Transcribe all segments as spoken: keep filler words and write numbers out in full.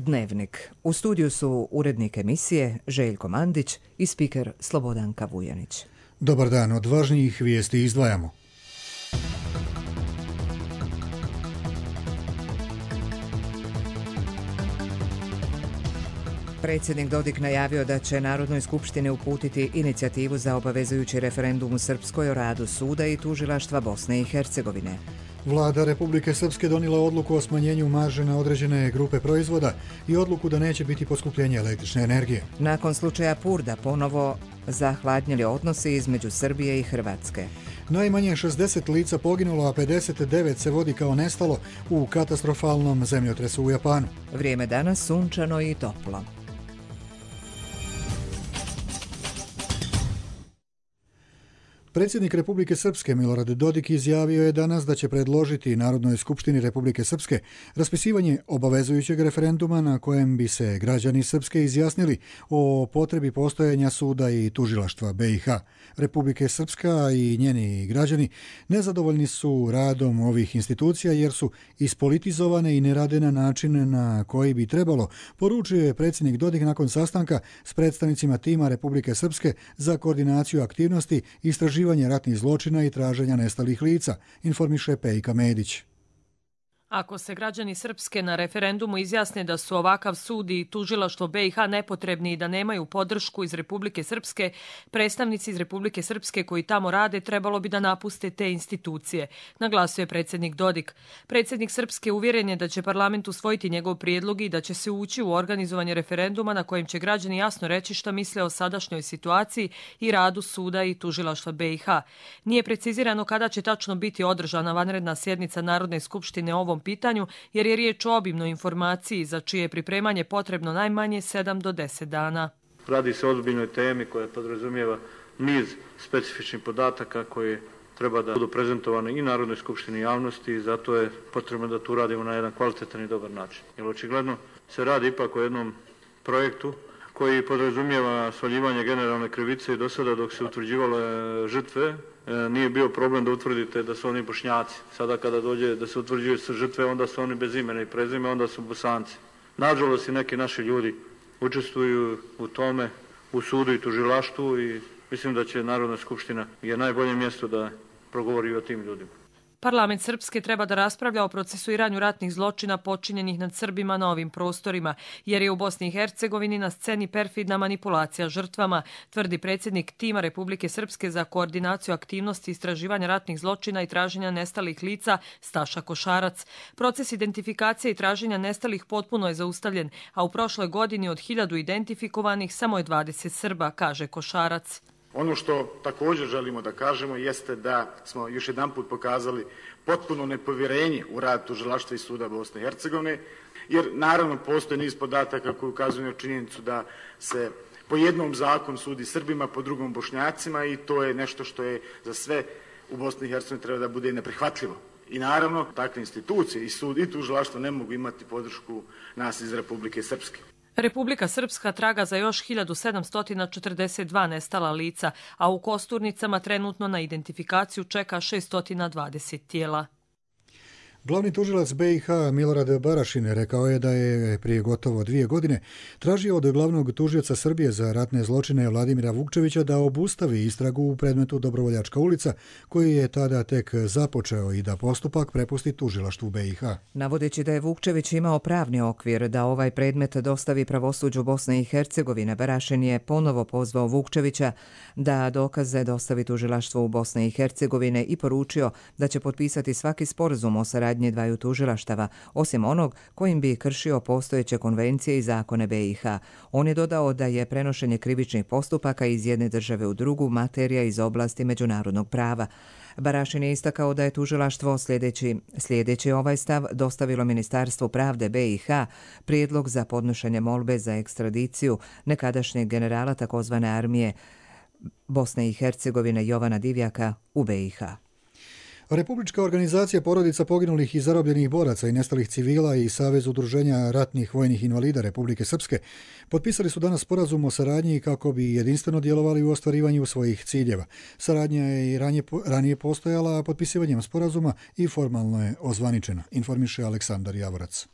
Dnevnik. U studiju su urednik emisije Željko Mandić i spiker Slobodanka Vujanić. Dobar dan, od važnijih vijesti izdvajamo. Predsjednik Dodik najavio da će Narodnoj skupštini uputiti inicijativu za obavezujući referendum u Srpskoj o radu suda i tužilaštva Bosne i Hercegovine. Vlada Republike Srpske donijela odluku o smanjenju marže na određene grupe proizvoda i odluku da neće biti poskupljenja električne energije. Nakon slučaja Purda ponovo zahladnjeli odnosi između Srbije i Hrvatske. Najmanje šezdeset lica poginulo, a pedeset devet se vodi kao nestalo u katastrofalnom zemljotresu u Japanu. Vrijeme danas sunčano i toplo. Predsjednik Republike Srpske Milorad Dodik izjavio je danas da će predložiti Narodnoj skupštini Republike Srpske raspisivanje obavezujućeg referenduma na kojem bi se građani Srpske izjasnili o potrebi postojanja suda i tužilaštva B i H. Republike Srpska i njeni građani nezadovoljni su radom ovih institucija jer su ispolitizovane i ne rade na način na koji bi trebalo, poručio je predsjednik Dodik nakon sastanka s predstavnicima tima Republike Srpske za koordinaciju aktivnosti i istraživanja ratnih zločina i traženja nestalih lica, informiše Pejka Medić. Ako se građani Srpske na referendumu izjasne da su ovakav sud i tužilaštvo B i H nepotrebni i da nemaju podršku iz Republike Srpske, predstavnici iz Republike Srpske koji tamo rade trebalo bi da napuste te institucije, naglasio je predsjednik Dodik. Predsjednik Srpske uvjeren je da će parlament usvojiti njegov prijedlog i da će se ući u organizovanje referenduma na kojem će građani jasno reći šta misle o sadašnjoj situaciji i radu suda i tužilaštva B i H. Nije precizirano kada će tačno biti održana vanredna sjednica Narodne skupštine o ovom pitanju, jer je riječ o obimnoj informaciji za čije pripremanje potrebno najmanje sedam do deset dana. Radi se o ozbiljnoj temi koja podrazumijeva niz specifičnih podataka koje treba da budu prezentovane i Narodnoj skupštini javnosti i zato je potrebno da tu radimo na jedan kvalitetan i dobar način. Jer očigledno se radi ipak o jednom projektu koji podrazumijeva svaljivanje generalne krivice i do sada dok se utvrđivalo žrtve nije bio problem da utvrdite da su oni Bošnjaci. Sada kada dođe da se utvrđuju žrtve, onda su oni bez imena i prezime, onda su Bosanci. Nažalost i neki naši ljudi učestvuju u tome, u sudu i tužilaštvu i mislim da će Narodna skupština je najbolje mjesto da progovori o tim ljudima. Parlament Srpske treba da raspravlja o procesuiranju ratnih zločina počinjenih nad Srbima na ovim prostorima, jer je u Bosni i Hercegovini na sceni perfidna manipulacija žrtvama, tvrdi predsjednik tima Republike Srpske za koordinaciju aktivnosti istraživanja ratnih zločina i traženja nestalih lica Staša Košarac. Proces identifikacije i traženja nestalih potpuno je zaustavljen, a u prošloj godini od hiljadu identifikovanih samo je dvadeset Srba, kaže Košarac. Ono što također želimo da kažemo jeste da smo još jedan put pokazali potpuno nepovjerenje u rad tužilaštva i suda Bosne i Hercegovine, jer naravno postoje niz podataka koji ukazuju na činjenicu da se po jednom zakonu sudi Srbima, po drugom Bošnjacima i to je nešto što je za sve u Bosni i Hercegovini treba da bude neprihvatljivo. I naravno takve institucije i sud i tužilaštvo ne mogu imati podršku nas iz Republike Srpske. Republika Srpska traga za još hiljadu sedamsto četrdeset dva nestala lica, a u Kosturnicama trenutno na identifikaciju čeka šesto dvadeset tijela. Glavni tužilac B i H Milorad Barašin rekao je da je prije gotovo dvije godine tražio od glavnog tužioca Srbije za ratne zločine Vladimira Vukčevića da obustavi istragu u predmetu Dobrovoljačka ulica, koji je tada tek započeo i da postupak prepusti tužilaštvu B i H. Navodeći da je Vukčević imao pravni okvir da ovaj predmet dostavi pravosuđu Bosne i Hercegovine, Barašin je ponovo pozvao Vukčevića da dokaze dostavi tužilaštvu u Bosne i Hercegovine i poručio da će potpisati svaki sporazum o saradnji dvaju tužilaštava, osim onog kojim bi kršio postojeće konvencije i zakone B i H. On je dodao da je prenošenje krivičnih postupaka iz jedne države u drugu materija iz oblasti međunarodnog prava. Barašin je istakao da je tužilaštvo sljedeći, sljedeći ovaj stav dostavilo Ministarstvu pravde B i H prijedlog za podnošenje molbe za ekstradiciju nekadašnjeg generala takozvane armije Bosne i Hercegovine Jovana Divjaka u B i H. Republička organizacija porodica poginulih i zarobljenih boraca i nestalih civila i Savez udruženja ratnih vojnih invalida Republike Srpske potpisali su danas sporazum o saradnji kako bi jedinstveno djelovali u ostvarivanju svojih ciljeva. Saradnja je i ranije, ranije postojala, a potpisivanjem sporazuma i formalno je ozvaničena, informiše Aleksandar Javorac.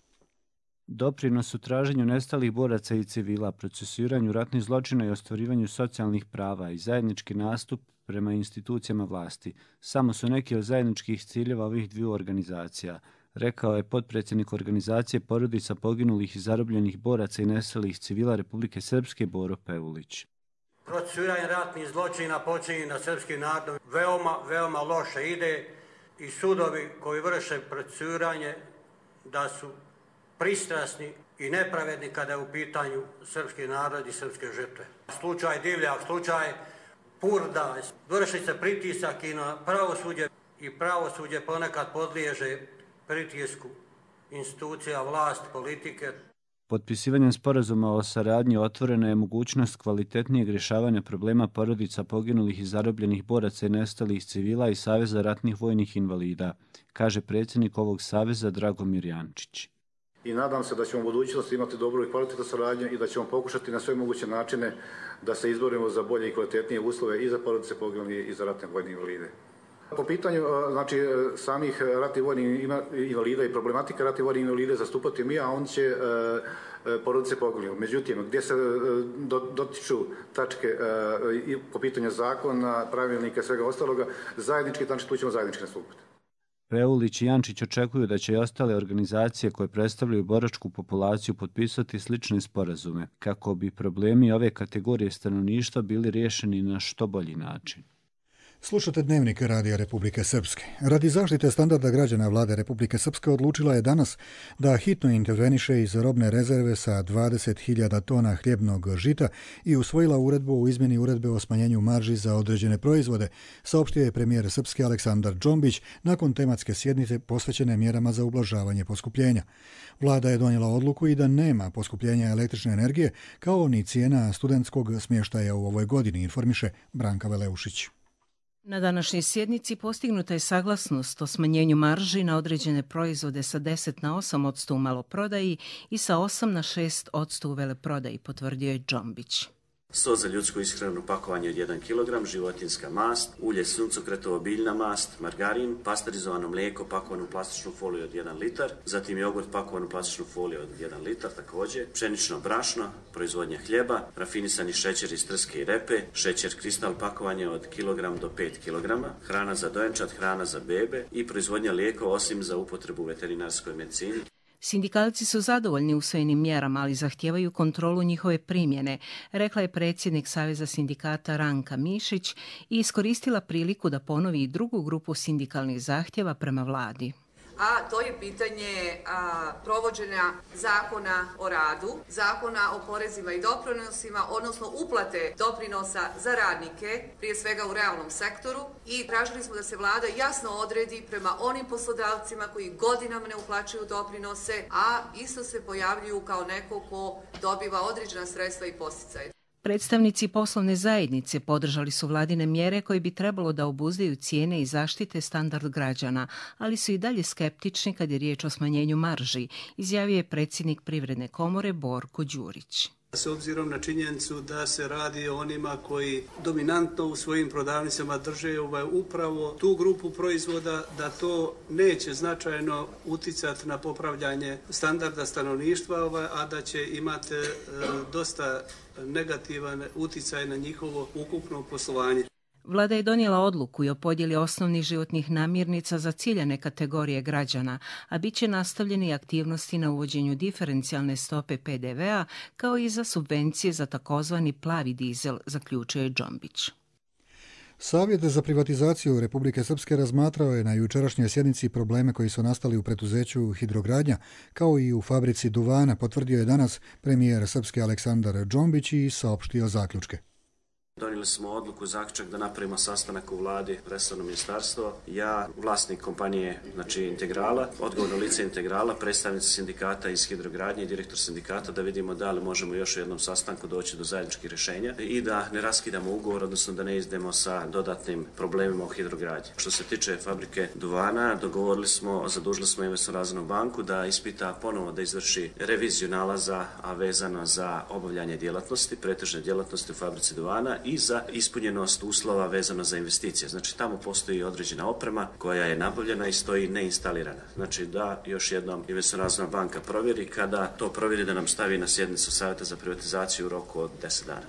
Doprinos u traženju nestalih boraca i civila, procesuiranju ratnih zločina i ostvarivanju socijalnih prava i zajednički nastup prema institucijama vlasti samo su neki od zajedničkih ciljeva ovih dviju organizacija, rekao je potpredsjednik organizacije porodica poginulih i zarobljenih boraca i nestalih civila Republike Srpske Boro Pevulić. Procesuiranje ratnih zločina počinje na srpski narod veoma, veoma loše ide i sudovi koji vrše procesuiranje da su pristrasni i nepravedni kada je u pitanju srpski narod i srpske žrtve. Slučaj Divljak, slučaj Purda, vrši se pritisak i na pravosuđe i pravosuđe ponekad podliježe pritisku institucija, vlast, politike. Potpisivanjem sporazuma o saradnji otvorena je mogućnost kvalitetnijeg rješavanja problema porodica poginulih i zarobljenih boraca i nestalih civila i Saveza ratnih vojnih invalida, kaže predsjednik ovog saveza Dragomir Jančić. I nadam se da ćemo u budućnosti imati dobru i kvalitetnu saradnju i da ćemo pokušati na sve moguće načine da se izborimo za bolje i kvalitetnije uslove i za porodice poginulih i za ratne vojne invalide. Po pitanju znači, samih ratnih vojnih invalida i problematika ratnih vojnih invalida zastupati mi, a on će e, porodice poginulih. Međutim, gdje se dotiču tačke e, po pitanju zakona, pravilnika i svega ostaloga, zajednički, znači tu ćemo zajednički nastupati. Peulić i Jančić očekuju da će i ostale organizacije koje predstavljaju boračku populaciju potpisati slične sporazume, kako bi problemi ove kategorije stanovništva bili riješeni na što bolji način. Slušate Dnevnik Radija Republike Srpske. Radi zaštite standarda građana vlade Republike Srpske odlučila je danas da hitno interveniše iz robne rezerve sa dvadeset hiljada tona hljebnog žita i usvojila uredbu o izmjeni uredbe o smanjenju marži za određene proizvode, saopštio je premijer Srpske Aleksandar Džombić nakon tematske sjednice posvećene mjerama za ublažavanje poskupljenja. Vlada je donijela odluku i da nema poskupljenja električne energije kao ni cijena studentskog smještaja u ovoj godini, informiše Branka Veleušić. Na današnjoj sjednici postignuta je saglasnost o smanjenju marži na određene proizvode sa deset na osam posto u maloprodaji i sa osam na šest posto u veleprodaji, potvrdio je Džombić. sto za ljudsku ishranu pakovanje od jedan kilogram, životinjska mast, ulje suncokretovo biljna mast, margarin, pasterizovano mlijeko pakovano u plastičnu foliju od jedan litar, zatim jogurt pakovan u plastičnu foliju od jedan litar također, pšenično brašno, proizvodnja hljeba, rafinisani šećer iz trske i repe, šećer kristal pakovanje od kilogram do pet kilograma, hrana za dojenčad, hrana za bebe i proizvodnja lijekova osim za upotrebu u veterinarskoj medicini. Sindikalci su zadovoljni usvojenim mjerama, ali zahtijevaju kontrolu njihove primjene, rekla je predsjednik Saveza sindikata Ranka Mišić i iskoristila priliku da ponovi i drugu grupu sindikalnih zahtjeva prema vladi. A to je pitanje a, provođenja zakona o radu, zakona o porezima i doprinosima, odnosno uplate doprinosa za radnike, prije svega u realnom sektoru, i tražili smo da se vlada jasno odredi prema onim poslodavcima koji godinama ne uplaćuju doprinose, a isto se pojavljuju kao neko ko dobiva određena sredstva i podsticaje. Predstavnici poslovne zajednice podržali su vladine mjere koje bi trebalo da obuzdaju cijene i zaštite standard građana, ali su i dalje skeptični kad je riječ o smanjenju marži, izjavio je predsjednik Privredne komore Borko Đurić. S obzirom na činjenicu da se radi o onima koji dominantno u svojim prodavnicama drže ovaj, upravo tu grupu proizvoda, da to neće značajno uticati na popravljanje standarda stanovništva, ovaj, a da će imati e, dosta negativan uticaj na njihovo ukupno poslovanje. Vlada je donijela odluku i o podjeli osnovnih životnih namirnica za ciljane kategorije građana, a bit će nastavljeni aktivnosti na uvođenju diferencijalne stope pe de ve a kao i za subvencije za takozvani plavi dizel, zaključuje Džombić. Savjet za privatizaciju Republike Srpske razmatrao je na jučerašnjoj sjednici probleme koji su nastali u preduzeću Hidrogradnja, kao i u fabrici duvana, potvrdio je danas premijer Srpske Aleksandar Džombić i saopštio zaključke. Donijeli smo odluku, zaključak da napravimo sastanak u vladi, resorno ministarstvo, ja, vlasnik kompanije, znači Integrala, odgovorno lice Integrala, predstavnici sindikata iz Hidrogradnje i direktor sindikata, da vidimo da li možemo još u jednom sastanku doći do zajedničkih rješenja i da ne raskidamo ugovor, odnosno da ne izdemo sa dodatnim problemima u Hidrogradnji. Što se tiče fabrike duvana, dogovorili smo, zadužili smo Investor razvojnu banku da ispita ponovo da izvrši reviziju nalaza, a vezano za obavljanje djelatnosti, pretežne djelatnosti u fabrici duvana, i za ispunjenost uslova vezano za investicije. Znači tamo postoji određena oprema koja je nabavljena i stoji neinstalirana. Znači da još jednom Investiciona razvojna banka provjeri, kada to provjeri da nam stavi na sjednicu Savjeta za privatizaciju u roku od deset dana.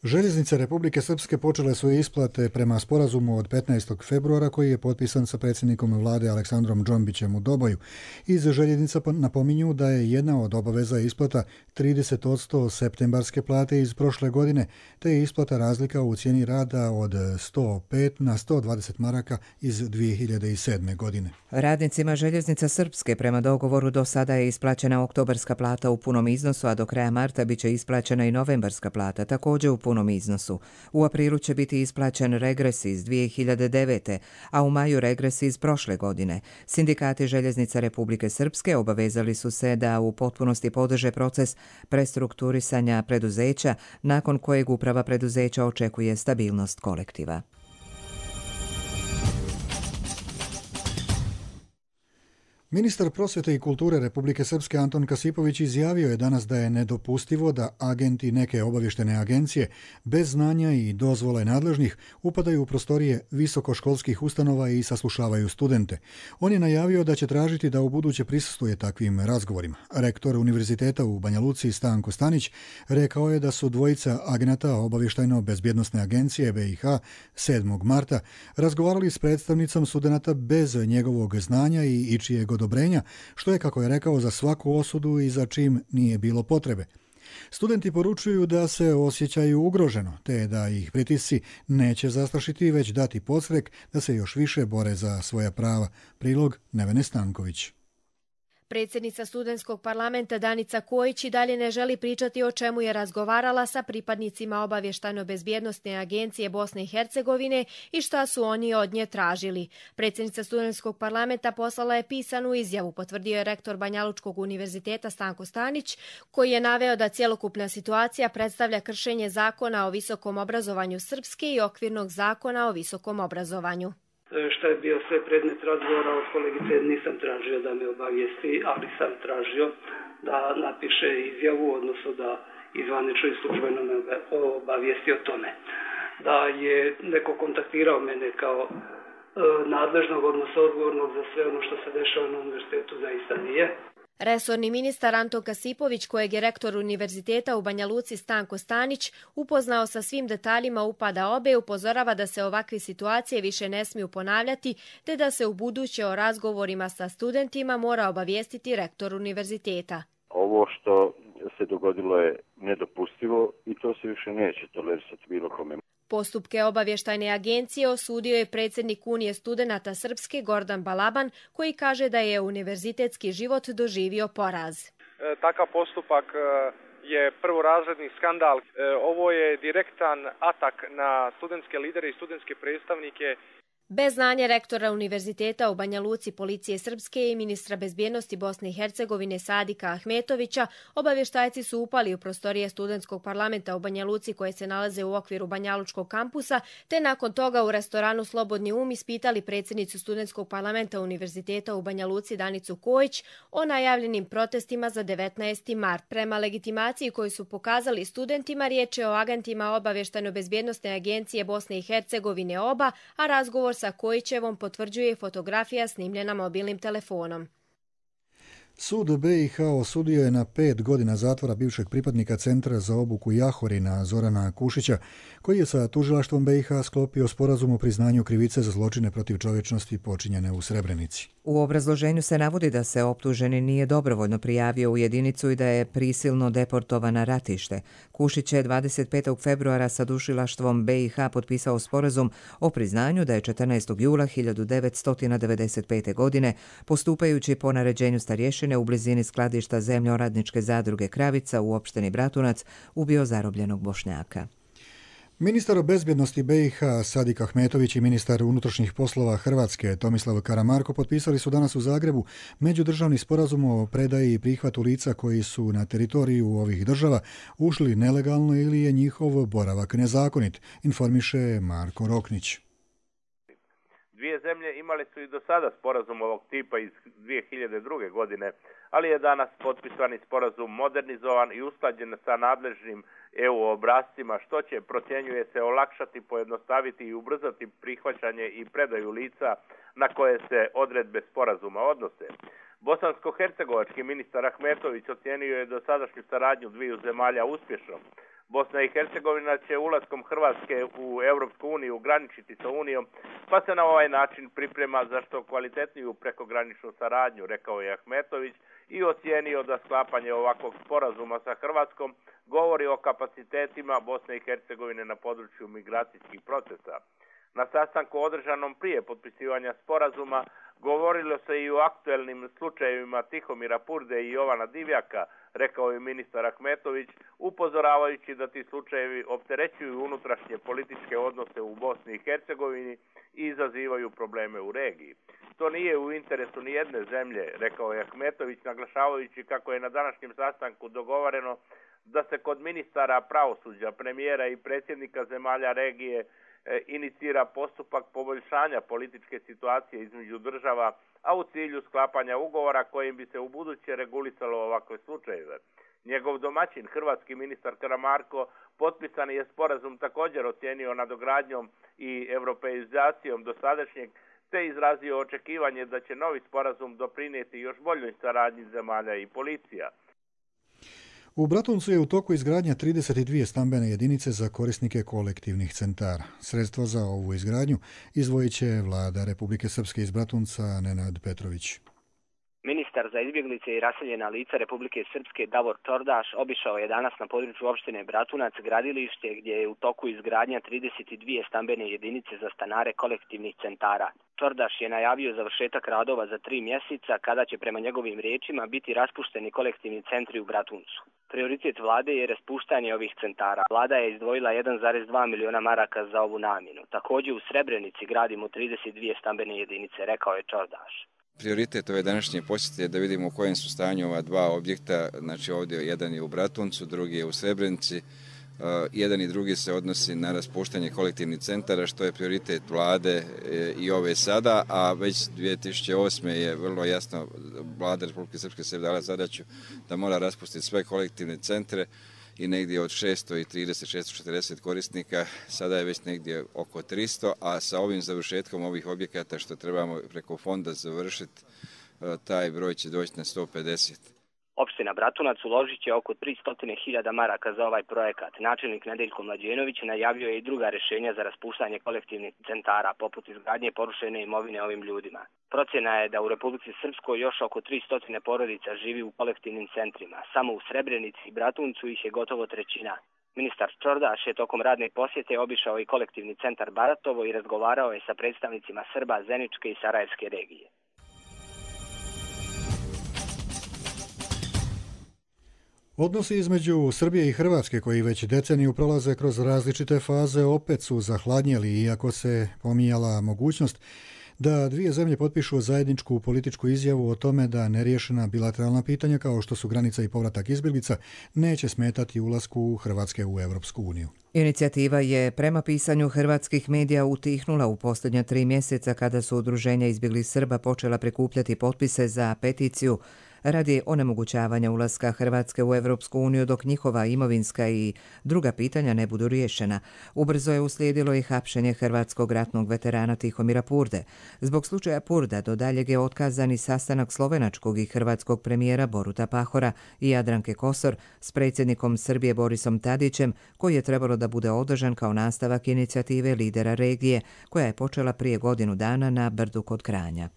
Željeznice Republike Srpske počele su isplate prema sporazumu od petnaestog februara koji je potpisan sa predsjednikom vlade Aleksandrom Džombićem u Doboju. Iz željeznica napominju da je jedna od obaveza isplata trideset posto septembarske plate iz prošle godine, te je isplata razlika u cijeni rada od sto pet na sto dvadeset maraka iz dvije hiljade sedme. godine. Radnicima Željeznica Srpske prema dogovoru do sada je isplaćena oktobarska plata u punom iznosu, a do kraja marta bit će isplaćena i novembarska plata, također u punom iznosu. U aprilu će biti isplaćen regres iz dvije hiljade devete. a u maju regres iz prošle godine. Sindikati Željeznica Republike Srpske obavezali su se da u potpunosti podrže proces prestrukturisanja preduzeća, nakon kojeg uprava preduzeća očekuje stabilnost kolektiva. Ministar prosvjete i kulture Republike Srpske Anton Kasipović izjavio je danas da je nedopustivo da agenti neke obavještene agencije bez znanja i dozvole nadležnih upadaju u prostorije visokoškolskih ustanova i saslušavaju studente. On je najavio da će tražiti da ubuduće prisustvuje takvim razgovorima. Rektor Univerziteta u Banja Luci Stanko Stanić rekao je da su dvojica agenata obavještajno-bezbjednosne agencije B i H sedmog marta razgovarali s predstavnicom studenata bez njegovog znanja i ičijeg odobrenja, što je, kako je rekao, za svaku osudu i za čim nije bilo potrebe. Studenti poručuju da se osjećaju ugroženo, te da ih pritisci neće zastrašiti, već dati podstrek da se još više bore za svoja prava. Prilog Nevene Stanković. Predsjednica studentskog parlamenta Danica Kojić i dalje ne želi pričati o čemu je razgovarala sa pripadnicima obavještajno-bezbjednosne agencije Bosne i Hercegovine i šta su oni od nje tražili. Predsjednica studentskog parlamenta poslala je pisanu izjavu, potvrdio je rektor Banjalučkog univerziteta Stanko Stanić, koji je naveo da cjelokupna situacija predstavlja kršenje zakona o visokom obrazovanju Srpske i okvirnog zakona o visokom obrazovanju. Šta je bio sve predmet razgovora od kolegice, nisam tražio da me obavijesti, ali sam tražio da napiše izjavu, odnosno da izvanično i službeno me obavijesti o tome. Da je neko kontaktirao mene kao e, nadležnog, odnosno odgovornog za sve ono što se dešava na univerzitetu, zaista nije. Resorni ministar Anton Kasipović, kojeg je rektor univerziteta u Banja Luci Stanko Stanić upoznao sa svim detaljima upada obe, upozorava da se ovakve situacije više ne smiju ponavljati, te da se u buduće o razgovorima sa studentima mora obavijestiti rektor univerziteta. Ovo što se dogodilo je nedopustivo i to se više neće tolerisati bilo kome. Postupke obavještajne agencije osudio je predsjednik Unije studenata Srpske Gordan Balaban, koji kaže da je univerzitetski život doživio poraz. E, takav postupak je prvorazredni skandal. E, ovo je direktan atak na studentske lidere i studentske predstavnike. Bez znanja rektora univerziteta u Banja Luci Policije Srpske i ministra bezbjednosti Bosne i Hercegovine Sadika Ahmetovića, obavještajci su upali u prostorije studentskog parlamenta u Banja Luci koje se nalaze u okviru Banjalučkog kampusa, te nakon toga u restoranu Slobodni um ispitali predsjednicu studentskog parlamenta univerziteta u Banja Luci Danicu Kojić o najavljenim protestima za devetnaesti mart. Prema legitimaciji koju su pokazali studentima, riječ je o agentima obavještajno-bezbjednosne agencije Bosne i Hercegovine oba, a razgovor sa Kojićevom potvrđuje fotografija snimljena mobilnim telefonom. Sud B i H osudio je na pet godina zatvora bivšeg pripadnika Centra za obuku Jahorina Zorana Kušića, koji je sa tužilaštvom B i H sklopio sporazum o priznanju krivice za zločine protiv čovječnosti počinjene u Srebrenici. U obrazloženju se navodi da se optuženi nije dobrovoljno prijavio u jedinicu i da je prisilno deportovan na ratište. Kušić je dvadeset petog februara sa tužilaštvom B i H potpisao sporazum o priznanju da je četrnaestog jula hiljadu devetsto devedeset pete. godine, postupajući po naređenju starješine u blizini skladišta zemljoradničke zadruge Kravica u opštini Bratunac, ubio zarobljenog Bošnjaka. Ministar bezbjednosti B i H Sadik Ahmetović i ministar unutrašnjih poslova Hrvatske Tomislav Karamarko potpisali su danas u Zagrebu međudržavni sporazum o predaji i prihvatu lica koji su na teritoriju ovih država ušli nelegalno ili je njihov boravak nezakonit, informiše Marko Roknić. Dvije zemlje imali su i do sada sporazum ovog tipa iz dvije hiljade druge. godine, ali je danas potpisani sporazum modernizovan i usklađen sa nadležnim E U obrascima, što će, procjenjuje se, olakšati, pojednostaviti i ubrzati prihvaćanje i predaju lica na koje se odredbe sporazuma odnose. Bosansko-hercegovački ministar Ahmetović ocijenio je dosadašnju saradnju dviju zemalja uspješnom. Bosna i Hercegovina će ulaskom Hrvatske u Europsku uniju graničiti sa Unijom, pa se na ovaj način priprema za što kvalitetniju prekograničnu saradnju, rekao je Ahmetović, i ocijenio da sklapanje ovakvog sporazuma sa Hrvatskom govori o kapacitetima Bosne i Hercegovine na području migracijskih procesa. Na sastanku održanom prije potpisivanja sporazuma govorilo se i o aktuelnim slučajevima Tihomira Purde i Jovana Divjaka, rekao je ministar Ahmetović, upozoravajući da ti slučajevi opterećuju unutrašnje političke odnose u Bosni i Hercegovini i izazivaju probleme u regiji. To nije u interesu ni jedne zemlje, rekao je Ahmetović, naglašavajući kako je na današnjem sastanku dogovoreno da se kod ministara pravosuđa, premijera i predsjednika zemalja regije inicira postupak poboljšanja političke situacije između država, a u cilju sklapanja ugovora kojim bi se ubuduće regulisalo ovakve slučajeve. Njegov domaćin, hrvatski ministar Karamarko, potpisani je sporazum također ocijenio nadogradnjom i europeizacijom dosadašnjeg, te izrazio očekivanje da će novi sporazum doprinijeti još boljoj saradnji zemalja i policija. U Bratuncu je u toku izgradnja trideset dvije stambene jedinice za korisnike kolektivnih centara. Sredstva za ovu izgradnju izdvojit će vlada Republike Srpske iz Bratunca Nenad Petrović. Ministar za izbjeglice i raseljena lica Republike Srpske Davor Čordaš obišao je danas na području opštine Bratunac gradilište gdje je u toku izgradnja trideset dvije stambene jedinice za stanare kolektivnih centara. Čordaš je najavio završetak radova za tri mjeseca kada će prema njegovim riječima biti raspušteni kolektivni centri u Bratuncu. Prioritet vlade je raspuštanje ovih centara. Vlada je izdvojila jedan zarez dva miliona maraka za ovu namjenu. Također u Srebrenici gradimo trideset dvije stambene jedinice, rekao je Čordaš. Prioritet ove današnje posjete je da vidimo u kojem su stanju ova dva objekta, znači ovdje jedan je u Bratuncu, drugi je u Srebrenici. Uh, jedan i drugi se odnosi na raspuštanje kolektivnih centara, što je prioritet vlade e, i ove sada, a već dvije tisuće osme je vrlo jasno vlada Republike Srpske se dala zadaću da mora raspustiti sve kolektivne centre i negdje od šesto trideset do šesto četrdeset korisnika, sada je već negdje oko tristo, a sa ovim završetkom ovih objekata što trebamo preko fonda završiti, taj broj će doći na sto pedeset. Opština Bratunac uložit će oko tristo hiljada maraka za ovaj projekat. Načelnik Nedeljko Mlađenović najavio je i druga rješenja za raspuštanje kolektivnih centara, poput izgradnje porušene imovine ovim ljudima. Procjena je da u Republici Srpskoj još oko tristo porodica živi u kolektivnim centrima. Samo u Srebrenici i Bratuncu ih je gotovo trećina. Ministar Čordaš je tokom radne posjete obišao i kolektivni centar Baratovo i razgovarao je sa predstavnicima Srba, Zeničke i Sarajevske regije. Odnosi između Srbije i Hrvatske, koji već deceniju prolaze kroz različite faze, opet su zahladnjeli, iako se pominjala mogućnost da dvije zemlje potpišu zajedničku političku izjavu o tome da neriješena bilateralna pitanja, kao što su granica i povratak izbjeglica, neće smetati ulasku Hrvatske u Europsku uniju. Inicijativa je prema pisanju hrvatskih medija utihnula u posljednja tri mjeseca kada su udruženja izbjeglih Srba počela prikupljati potpise za peticiju radi onemogućavanja ulaska Hrvatske u Europsku uniju dok njihova imovinska i druga pitanja ne budu riješena. Ubrzo je uslijedilo i hapšenje hrvatskog ratnog veterana Tihomira Purde. Zbog slučaja Purda do daljeg je otkazan i sastanak slovenačkog i hrvatskog premijera Boruta Pahora i Jadranke Kosor s predsjednikom Srbije Borisom Tadićem, koji je trebalo da bude održan kao nastavak inicijative lidera regije, koja je počela prije godinu dana na Brdu kod Kranja.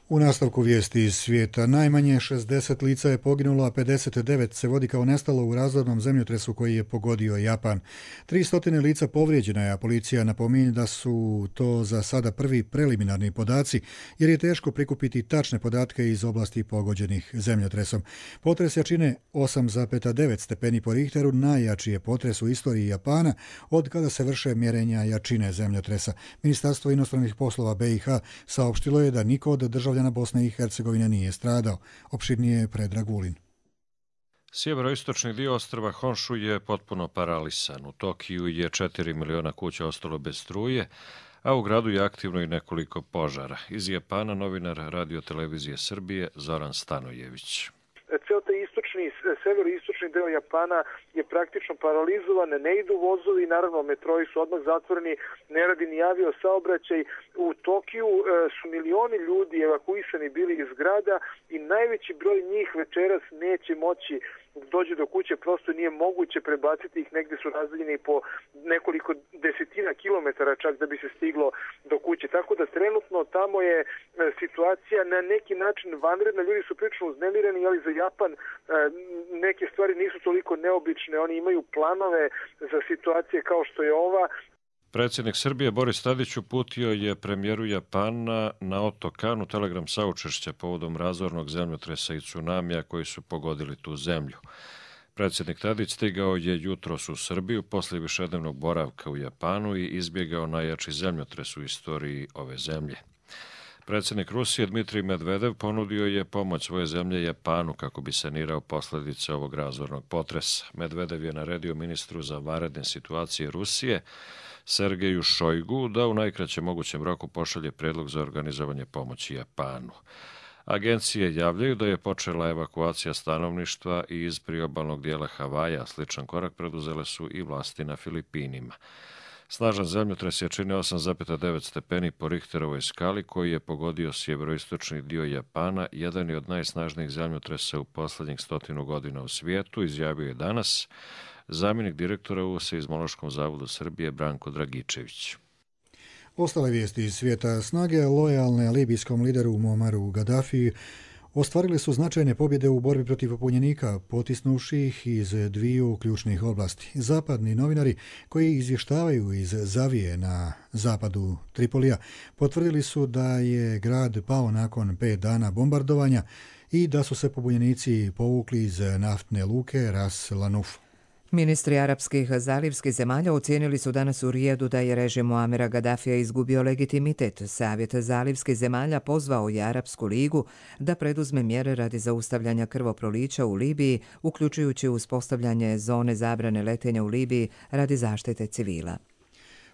U nastavku vijesti iz svijeta najmanje šezdeset lica je poginulo, a pedeset devet se vodi kao nestalo u razornom zemljotresu koji je pogodio Japan. tristo lica povrijeđena je, a policija napominje da su to za sada prvi preliminarni podaci, jer je teško prikupiti tačne podatke iz oblasti pogođenih zemljotresom. Potres jačine osam zarez devet stepeni po Richteru najjači je potres u istoriji Japana od kada se vrše mjerenja jačine zemljotresa. Ministarstvo inostranih poslova B i H saopštilo je da niko od država Bosne i Hercegovine nije stradao. Opširnije Predrag Vulin. Sjeveroistočni dio ostrva Honshu je potpuno paralisan. U Tokiju je četiri miliona kuća ostalo bez struje, a u gradu je aktivno i nekoliko požara. Iz Japana novinar Radio Televizije Srbije Zoran Stanojević. severo-istočni deo Japana je praktično paralizovan, ne idu vozovi, naravno metroi su odmah zatvoreni, ne radi ni avio saobraćaj. U Tokiju su milioni ljudi evakuisani bili iz grada i najveći broj njih večeras neće moći dođe do kuće, prosto nije moguće prebaciti ih, negde su razdaljeni po nekoliko desetina kilometara čak da bi se stiglo do kuće. Tako da trenutno tamo je situacija na neki način vanredna, ljudi su prilično uznemireni, ali za Japan neke stvari nisu toliko neobične, oni imaju planove za situacije kao što je ova. Predsjednik Srbije Boris Tadić uputio je premijeru Japana Naoto Kanu telegram saučešća povodom razornog zemljotresa i tsunamija koji su pogodili tu zemlju. Predsjednik Tadić stigao je jutros u Srbiju posle višednevnog boravka u Japanu i izbjegao najjači zemljotres u istoriji ove zemlje. Predsjednik Rusije Dmitrij Medvedev ponudio je pomoć svoje zemlje Japanu kako bi sanirao posljedice ovog razornog potresa. Medvedev je naredio ministru za vanredne situacije Rusije Sergeju Šojgu da u najkraćem mogućem roku pošalje predlog za organizovanje pomoći Japanu. Agencije javljaju da je počela evakuacija stanovništva iz priobalnog dijela Havaja. Sličan korak preduzele su i vlasti na Filipinima. Snažan zemljotres je činio osam zarez devet stepeni po Richterovoj skali koji je pogodio sjeveroistočni dio Japana, jedan je od najsnažnijih zemljotresa u posljednjih stotinu godina u svijetu, izjavio je danas zamjenik direktora u Seizmološkom zavodu Srbije Branko Dragičević. Ostale vijesti iz svijeta: snage lojalne libijskom lideru Muamaru Gadafiji ostvarili su značajne pobjede u borbi protiv pobunjenika, potisnuvši ih iz dviju ključnih oblasti. Zapadni novinari koji izvještavaju iz Zavije na zapadu Tripolija potvrdili su da je grad pao nakon pet dana bombardovanja i da su se pobunjenici povukli iz naftne luke Ras Lanuf. Ministri arapskih zalivskih zemalja ocijenili su danas u Rijedu da je režim Muamera Gadafija izgubio legitimitet. Savjet zalivskih zemalja pozvao je Arapsku ligu da preduzme mjere radi zaustavljanja krvoprolića u Libiji, uključujući uspostavljanje zone zabrane letenja u Libiji radi zaštite civila.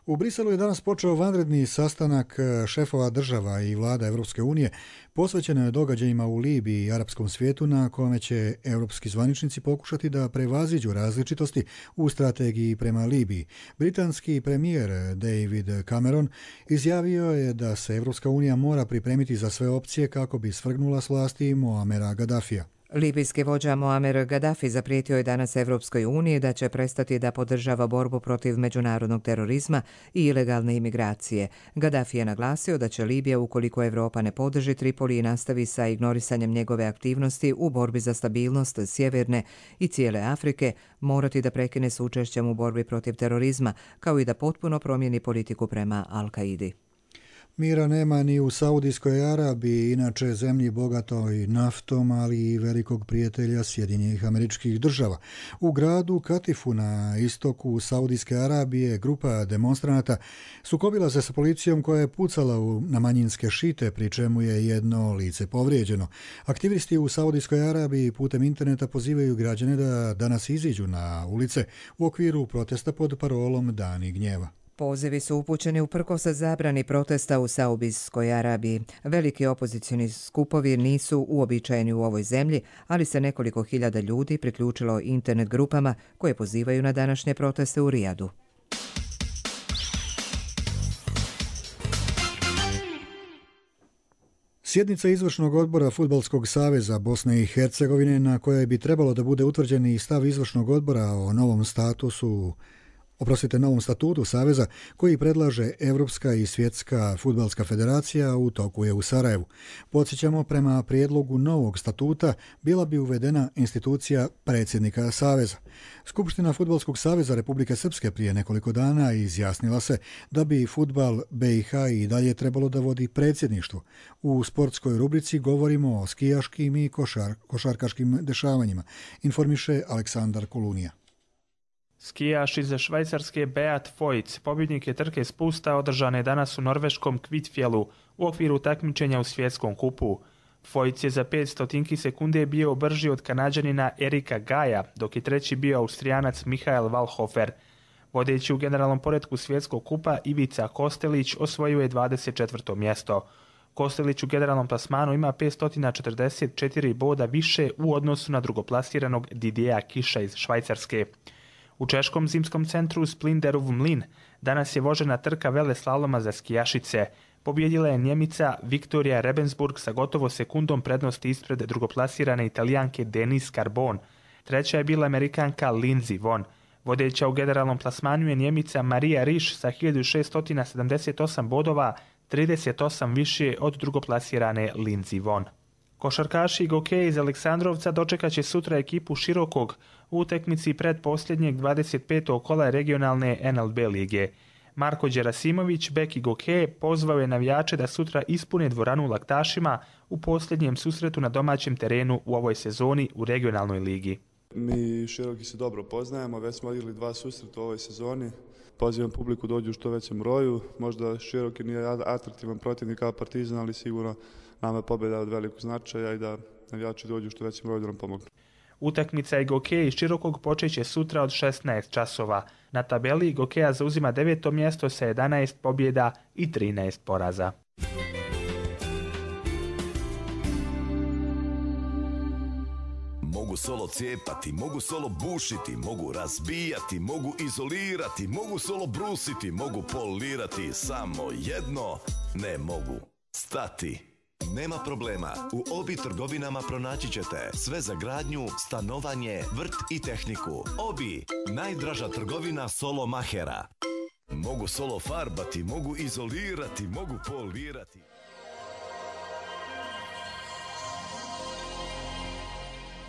U Briselu je danas počeo vanredni sastanak šefova država i vlada Evropske unije posvećeno događajima u Libiji i arapskom svijetu, na kome će europski zvaničnici pokušati da prevaziđu različitosti u strategiji prema Libiji. Britanski premijer David Cameron izjavio je da se Evropska unija mora pripremiti za sve opcije kako bi svrgnula s vlasti Muamera Gadafija. Libijski vođa Muamer Gaddafi zaprijetio je danas Evropskoj uniji da će prestati da podržava borbu protiv međunarodnog terorizma i ilegalne imigracije. Gaddafi je naglasio da će Libija, ukoliko Evropa ne podrži Tripoli i nastavi sa ignorisanjem njegove aktivnosti u borbi za stabilnost sjeverne i cijele Afrike, morati da prekine s učešćem u borbi protiv terorizma, kao i da potpuno promijeni politiku prema Al-Kaidi. Mira nema ni u Saudijskoj Arabiji, inače zemlji bogatoj naftom, ali i velikog prijatelja Sjedinjenih Američkih Država. U gradu Katifu na istoku Saudijske Arabije grupa demonstranata sukobila se sa policijom koja je pucala na manjinske šite, pri čemu je jedno lice povrijeđeno. Aktivisti u Saudijskoj Arabiji putem interneta pozivaju građane da danas iziđu na ulice u okviru protesta pod parolom Dani gnjeva. Pozivi su upućeni uprkos zabrani protesta u Saudijskoj Arabiji. Veliki opozicioni skupovi nisu uobičajeni u ovoj zemlji, ali se nekoliko hiljada ljudi priključilo internet grupama koje pozivaju na današnje proteste u Rijadu. Sjednica izvršnog odbora Fudbalskog saveza Bosne i Hercegovine, na kojoj bi trebalo da bude utvrđen i stav izvršnog odbora o novom statusu Oprostite, novom statutu Saveza koji predlaže Evropska i Svjetska fudbalska federacija, u toku je u Sarajevu. Podsjećamo, prema prijedlogu novog statuta bila bi uvedena institucija predsjednika Saveza. Skupština Fudbalskog saveza Republike Srpske prije nekoliko dana izjasnila se da bi fudbal B i H i dalje trebalo da vodi predsjedništvo. U sportskoj rubrici govorimo o skijaškim i košar, košarkaškim dešavanjima, informiše Aleksandar Kulunija. Skijaš iz Švajcarske Beat Foyt, pobjednik je trke spusta održane danas u norveškom Kvitfjellu u okviru takmičenja u svjetskom kupu. Foyt je za pet stotinki sekunde bio brži od Kanađanina Erika Gaja, dok je treći bio Austrijanac Michael Wallhofer. Vodeći u generalnom poretku svjetskog kupa Ivica Kostelić osvojio je dvadeset četvrto mjesto. Kostelić u generalnom plasmanu ima petsto četrdeset četiri boda više u odnosu na drugoplasiranog Didieja Kiša iz Švajcarske. U češkom zimskom centru Splinderov mlin danas je vožena trka veleslaloma za skijašice. Pobjedila je Njemica Viktorija Rebensburg sa gotovo sekundom prednosti ispred drugoplasirane Italijanke Denise Carbon. Treća je bila Amerikanka Lindsey Vonn. Vodeća u generalnom plasmanu je Njemica Marija Riš sa hiljadu šeststo sedamdeset osam bodova, trideset osam više od drugoplasirane Lindsey Vonn. Košarkaši Gokeja iz Aleksandrovca dočekat će sutra ekipu Širokog u utakmici pred posljednjeg dvadeset petog kola regionalne N L B lige. Marko Đerasimović, bek i Gokeje, pozvao je navijače da sutra ispune dvoranu u Laktašima u posljednjem susretu na domaćem terenu u ovoj sezoni u regionalnoj ligi. Mi Široki se dobro poznajemo, već smo odigrali dva susreta u ovoj sezoni. Pozivam publiku dođu u što većem broju. Možda Široki nije atraktivan protivnik kao Partizan, ali sigurno nama je pobjeda od velikog značaja i da navijači dođu u što većem broju da nam pomognu. Utakmica Gokeja iz Širokog počeće sutra od šesnaest časova. Na tabeli Gokeja zauzima deveto mjesto sa jedanaest pobjeda i trinaest poraza. Mogu solo cijepati, mogu solo bušiti, mogu razbijati, mogu izolirati, mogu solo brusiti, mogu polirati, samo jedno ne mogu stati. Nema problema, u Obi trgovinama pronaći ćete sve za gradnju, stanovanje, vrt i tehniku. Obi, najdraža trgovina solo mahera. Mogu solo farbati, mogu izolirati, mogu polirati.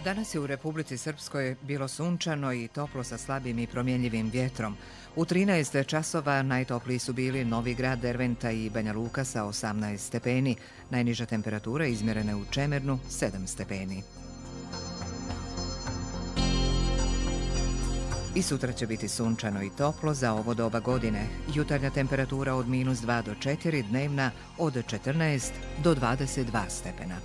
Danas je u Republici Srpskoj bilo sunčano i toplo sa slabim i promjenjivim vjetrom. U trinaest časova najtopliji su bili Novi Grad, Derventa i Banja Luka sa osamnaest stepeni. Najniža temperatura izmjerena je u Čemernu, sedam stepeni. I sutra će biti sunčano i toplo za ovo doba godine. Jutarnja temperatura od minus dva do četiri, dnevna od četrnaest do dvadeset dva stepena.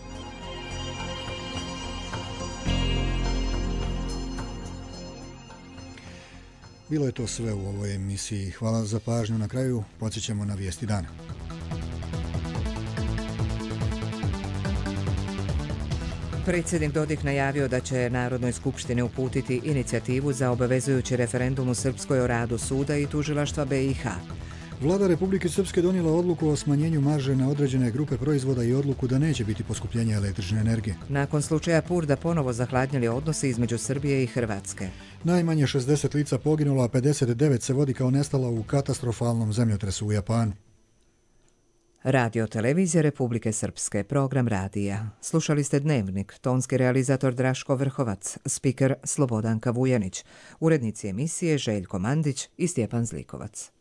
Bilo je to sve u ovoj emisiji. Hvala za pažnju. Na kraju podsjećamo na vijesti dana. Predsjednik Dodik najavio da će Narodnoj skupštini uputiti inicijativu za obavezujući referendum u Srpskoj o radu suda i tužilaštva B i H. Vlada Republike Srpske donijela odluku o smanjenju marže na određene grupe proizvoda i odluku da neće biti poskupljenja električne energije. Nakon slučaja Purda ponovo zahladnili odnosi između Srbije i Hrvatske. Najmanje šezdeset lica poginulo, a pedeset devet se vodi kao nestala u katastrofalnom zemljotresu u Japanu. Radio Televizija Republike Srpske, program radija. Slušali ste Dnevnik, tonski realizator Draško Vrhovac, spiker Slobodanka Vujanić, urednici emisije Željko Mandić i Stjepan Zlikovac.